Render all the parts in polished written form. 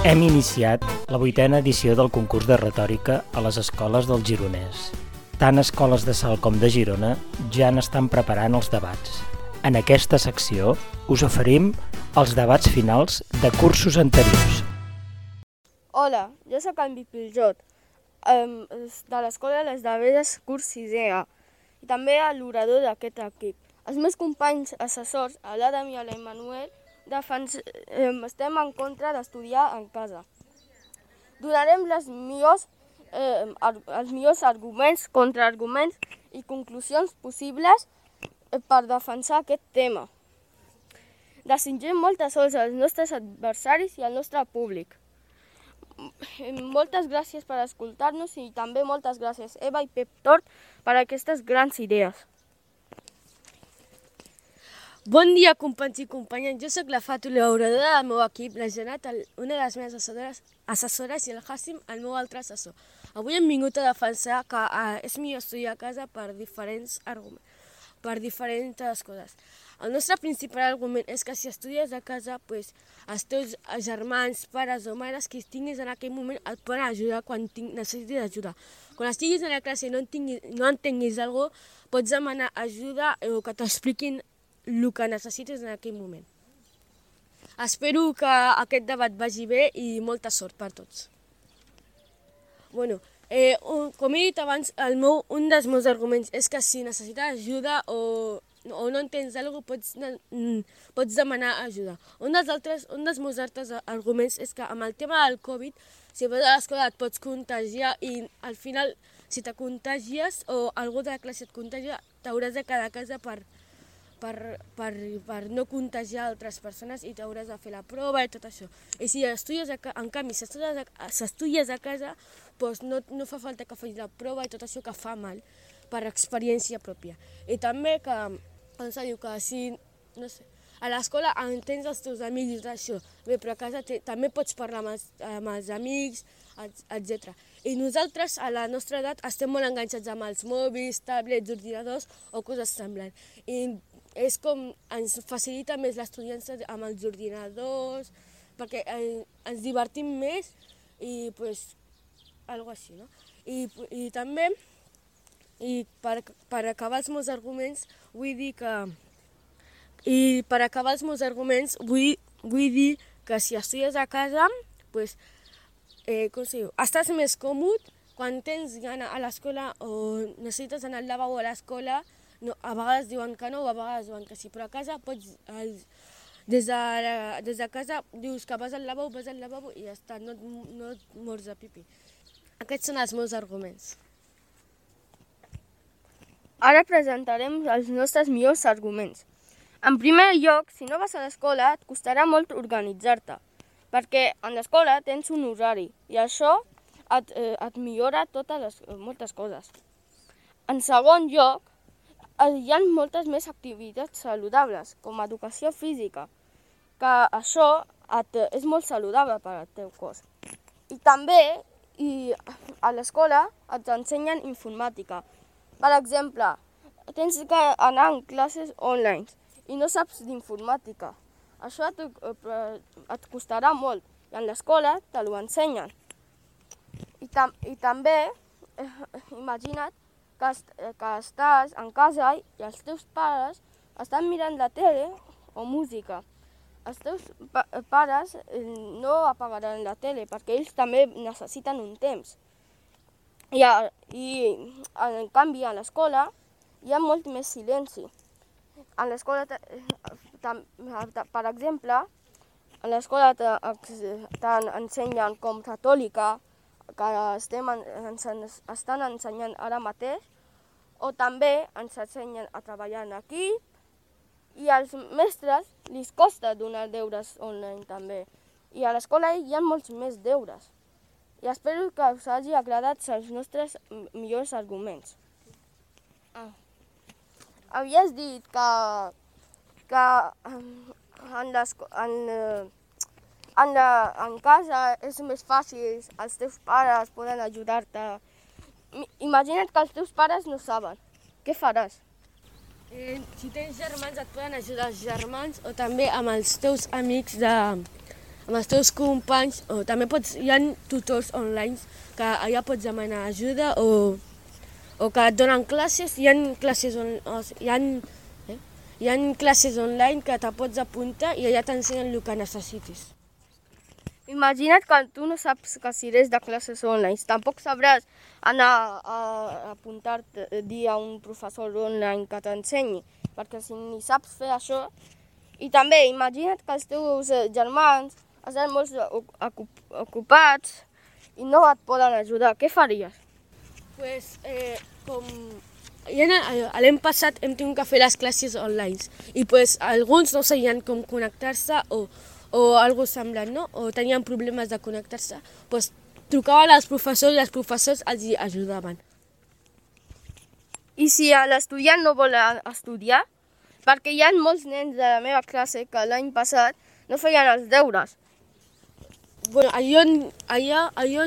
Hem iniciat la 8a edició del concurs de retòrica a les escoles del Gironès. Tant escoles de Salt com de Girona ja n'estan preparant els debats. En aquesta secció us oferim els debats finals de cursos anteriors. Hola, jo sóc en Piljot, de l'Escola Les Daveres, curs 6è, i també l'orador d'aquest equip. Els meus companys assessors, l'Adam i l'Emmanuel, estem en contra d'estudiar en casa. Donarem els millors arguments, contraarguments i conclusions possibles per defensar aquest tema. Desitgem molta sort als nostres adversaris i al nostre públic. Moltes gràcies per escoltar-nos i també moltes gràcies Eva i Pep Tort per aquestes grans idees. Bon dia, companys i companyes. Jo sóc la Fàtula, l'oradora del meu equip, la Janat, una de les meves assessores, i el Hassim, el meu altre assessor. Avui hem vingut a defensar que és millor estudiar a casa per diferents coses. El nostre principal argument és que si estudies a casa, els teus germans, pares o mares que tinguis en aquell moment et poden ajudar quan necessitis ajuda. Quan estiguis a la classe i no entenguis alguna cosa, pots demanar ajuda o que t'expliquin el que necessites en aquell moment. Espero que aquest debat vagi bé i molta sort per tots. Com he dit abans, un dels meus arguments és que si necessites ajuda o no entens alguna cosa, pots demanar ajuda. Un dels meus altres arguments és que amb el tema del Covid, si vas a l'escola et pots contagiar i al final, si te contagies o algú de la classe et contagia, t'hauràs de quedar a casa per no contagiar altres persones i t'hauràs de fer la prova i tot això. I si estudies en canvi, si estudies a casa, no fa falta que facis la prova i tot això que fa mal per experiència pròpia. I també que diu que si, a l'escola entens els teus amics i tot això, bé, però a casa també pots parlar amb els amics, etc. I nosaltres, a la nostra edat, estem molt enganxats amb els mòbils, tablets, ordinadors o coses semblants. I és com ens facilita més l'estudiança amb els ordinadors, perquè ens divertim més i algo així, no? I també, per acabar els meus arguments, vull dir que si estudies a casa, estàs més còmode quan tens gana a l'escola o necessites anar al lavabo a l'escola. A vegades diuen que no, a vegades diuen que sí, però a casa des de casa dius que vas al lavabo i ja està, no et mors de pipí. Aquests són els meus arguments. Ara presentarem els nostres millors arguments. En primer lloc, si no vas a l'escola, et costarà molt organitzar-te, perquè en l'escola tens un horari i això et millora moltes coses. En segon lloc, hi ha moltes més activitats saludables, com educació física, que això és molt saludable per al teu cos. I també a l'escola et ensenyen informàtica. Per exemple, tens que anar a classes online i no saps d'informàtica. Això et costarà molt i en l'escola te l'ho ensenyen. I també, imagina't que estàs en casa i els teus pares estan mirant la tele o música. Els teus pares no apagaran la tele perquè ells també necessiten un temps. I en canvi a l'escola hi ha molt més silenci. A l'escola, per exemple, a l'escola t'ensenyen com retòrica, que estan ensenyant ara mateix, o també ens ensenyen a treballar en equip i als mestres li costa donar deures online també. I a l'escola hi ha molts més deures. I espero que us hagi agradat els nostres millors arguments. Havies dit que en casa és més fàcil, els teus pares poden ajudar-te. Imagina't que els teus pares no saben. Què faràs? Si tens germans et poden ajudar els germans o també amb els teus amics amb els teus companys, o també hi ha tutors online que allà pots demanar ajuda o que et donen classes, hi ha classes online que te pots apuntar i allà t'ensenyen el que necessitis. Imagina't que tu no saps que si eres de classes online, tampoc sabràs anar a apuntar-te, dir a un professor online que t'ensenyi, perquè si ni saps fer això. I també imagina't que els teus germans estan molt ocupats i no et poden ajudar. Què faries? Pues, l'any passat hem tingut que fer les classes online i pues, alguns no sabien com connectar-se o alguna cosa semblant, no? O tenien problemes de connectar-se, pues, trucaven als professors i els professors els ajudaven. I si l'estudiant no vol estudiar? Perquè hi ha molts nens de la meva classe que l'any passat no feien els deures. Bueno, allò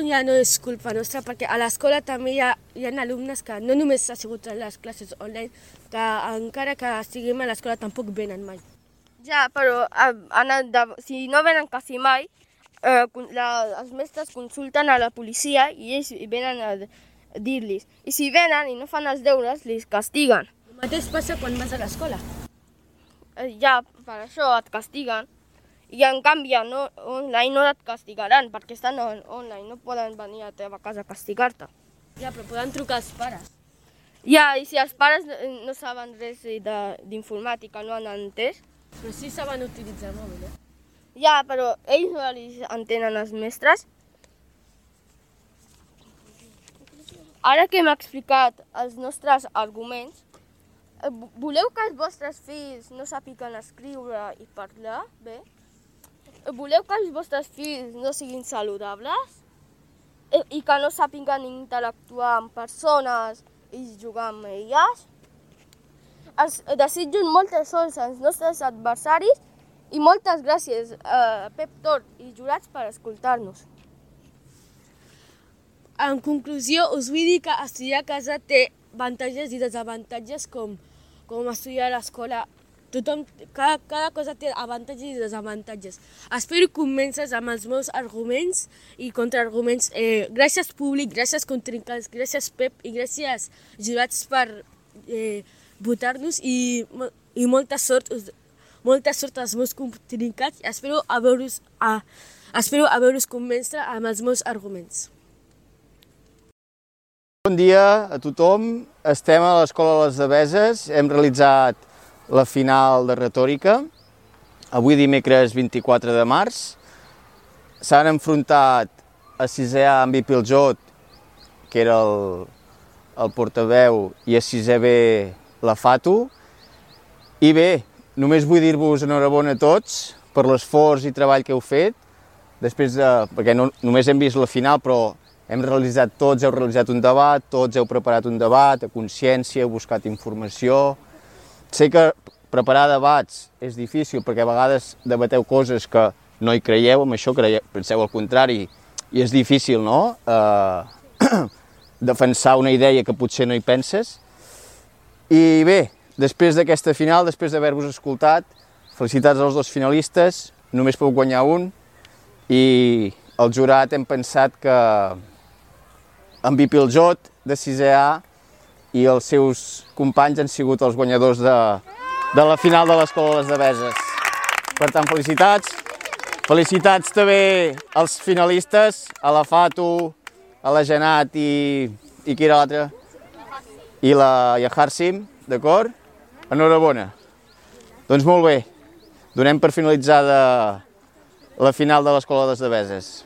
ja no és culpa nostra, perquè a l'escola també hi ha alumnes que no només ha sigut a les classes online, que encara que estiguem a l'escola tampoc venen mai. Ja, però si no venen quasi mai, els mestres consulten a la policia i ells venen a dir-los. I si venen i no fan els deures, els castiguen. El mateix passa quan vas a l'escola. Ja, per això et castiguen. I en canvi online no et castigaran, perquè estan online, no poden venir a la teva casa a castigar-te. Ja, però poden trucar els pares. Ja, i si els pares no saben res d'informàtica, no han entès. Però sí saben utilitzar el mòbil, eh? Ja, però ells no els entenen els mestres. Ara que hem explicat els nostres arguments, voleu que els vostres fills no sàpiguen escriure i parlar bé? Voleu que els vostres fills no siguin saludables? I que no sàpiguen interactuar amb persones i jugar amb elles? Els desitjo molta sort als nostres adversaris i moltes gràcies a Pep Tort i jurats per escoltar-nos. En conclusió, us vull dir que estudiar a casa té avantatges i desavantatges com estudiar a l'escola. Cada cosa té avantatges i desavantatges. Espero convèncer amb els meus arguments i contraarguments. Gràcies públic, gràcies contrincants, gràcies Pep i gràcies jurats per votar-nos i molta sort als meus contrincants. Espero haver-vos convèncer amb els meus arguments. Bon dia a tothom. Estem a l'Escola Les Deveses. Hem realitzat la final de retòrica, avui dimecres 24 de març. S'han enfrontat a 6è A en Piljot, que era el portaveu, i a 6è B la Fatu. I bé, només vull dir-vos enhorabona a tots per l'esforç i treball que heu fet, perquè només hem vist la final, però tots heu realitzat un debat, tots heu preparat un debat a consciència, heu buscat informació. Sé que preparar debats és difícil perquè a vegades debateu coses que no hi creieu, amb això penseu al contrari, i és difícil, no?, defensar una idea que potser no hi penses. I bé, després d'aquesta final, després d'haver-vos escoltat, felicitats als dos finalistes, només podeu guanyar un, i el jurat hem pensat que en Piljot, de 6è A, i els seus companys han sigut els guanyadors de la final de l'Escola Les Deveses. Per tant, felicitats. Felicitats també als finalistes, a la Fatu, a la Janat i qui era l'altre? I a Harsim, d'acord? Enhorabona. Doncs molt bé, donem per finalitzada la final de l'Escola Les Deveses.